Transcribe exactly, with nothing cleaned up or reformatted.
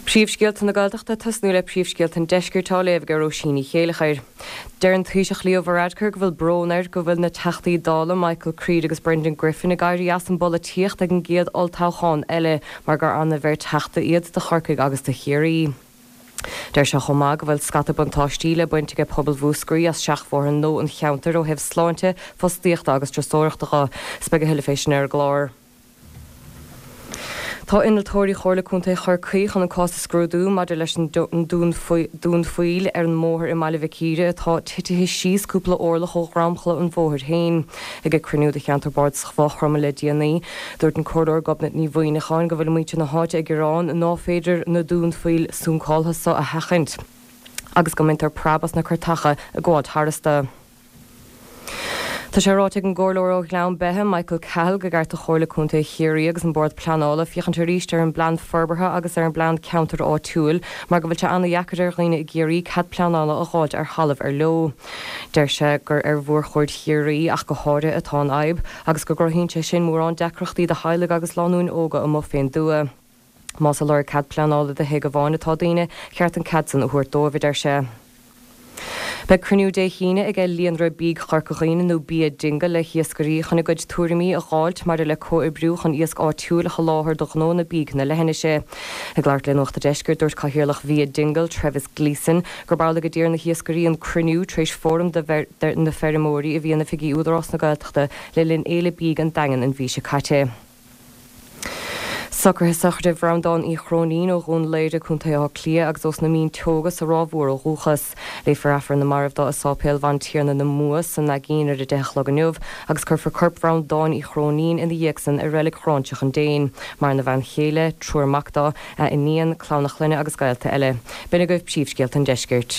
Príomhscéalta na Gaeltachta tosnú le príomhscéalta an deiscirt á léamh ag Róisín Ní Chéilleachair. Deir an Taoiseach Leo Varadkar go bhfuil brón air go bhfuil na Teachtaí Dála Michael Creed agus Brendan Griffin ag éirí as an bpolaitíocht ag an gcéad olltoghchán eile mar gur an-bheirt Teachta iad do Chorcaigh agus do Chiarraí. Deir sé chomh maith go bhfuil scata buntáistí le baint ag pobal Mhúscraí as seachbhóithre nua an cheantair ó thaobh sláinte, fostaíochta agus turasóireachta de. 'S beidh a thuilleadh fé sin ar an gclár. Tá innealtóirí Chomhairle Contae Chorcaí chun an cás a scrúdú maidir leis an dún poill ar an mbóthar i mBaile Mhic Íre atá titithe síos cúpla orlach ó dhromchla an bhóthair féin. Ag ag cruinniú de cheantar bardasach Mhaigh Chromtha le déanaí, dúirt an Comhairleoir Gobnait Ní Mhuimhneacháin go bhfuil muintir na háite ag gearán ná féidir na dúnphoill suncáltha seo a sheachaint agus go mbaintear preab as na cairteacha ag gabháil tharstu. Tá sé ráite ag an gComhairleoir ó Ghleann Beithe Michael Cahill gur cheart do Chomhairle Contae Chiarraí agus an Bord Pleanála féachaint arís ar an bplean forbartha agus ar an bplean ceantair áitiúil mar go bhfuil sé an-deacair ar dhaoine i gCiarraí cead pleanála a fháilt ar thalamh ar leo. Deir sé gur ar mhórchuid Chiarraí ach go háirithe atá an fhadhb agus go gcruthaíonn sé sin mórán deacrachtaí do theaghlaigh agus lánúin óga amuigh fén dtuath. Más ag lorg cead pleanála do thigh amháin atá daoine, cheart an cead san a thabhairt dóibh, a deir sé. Beidh cruinniú Dé hAoine ag Líonra Bídh Chorca Dhuibhne nó Bia Dingle le hiascairí chun a gcuid tuairimí a dh'fháilt maidir le comhoibriú chun iasc áitiúil a sholáthar do ghnónna bídh na leithinise. Ag labhairt le Nuacht an Deiscirt dúirt Cathaoirleach Bhia Dingle Trevis Gleeson gur amhlaidh go d'iarr na hiascairí an cruinniú tar éis fóram de na feirmeoirí a bhí in oifigí Údarás na Gaeltachta le linn Fhéile Bídh an Daingin an mhí seo caite. Socruithe sochraide Bhreandáin Uí Chróinín ó Dhún Laoghaire Contae Átha Cliath agus ós na Mínteoga sa Ráth Mhór ó dhúchas. Léifear Aifreann na Marbh dó i Sáipéal Bhantiarna na Mumhan sa Naigín ar a deich a chlog inniu, agus cuirfear corp Bhreandáin Uí Chróinín ina dhiaidh san i reilig Ghráinseach an Déin. Maireann a bhean chéile, triúr mac dó, a iníon, clann a clainne agus gaolta eile. B'in agaibh príomhscéalta an deiscirt.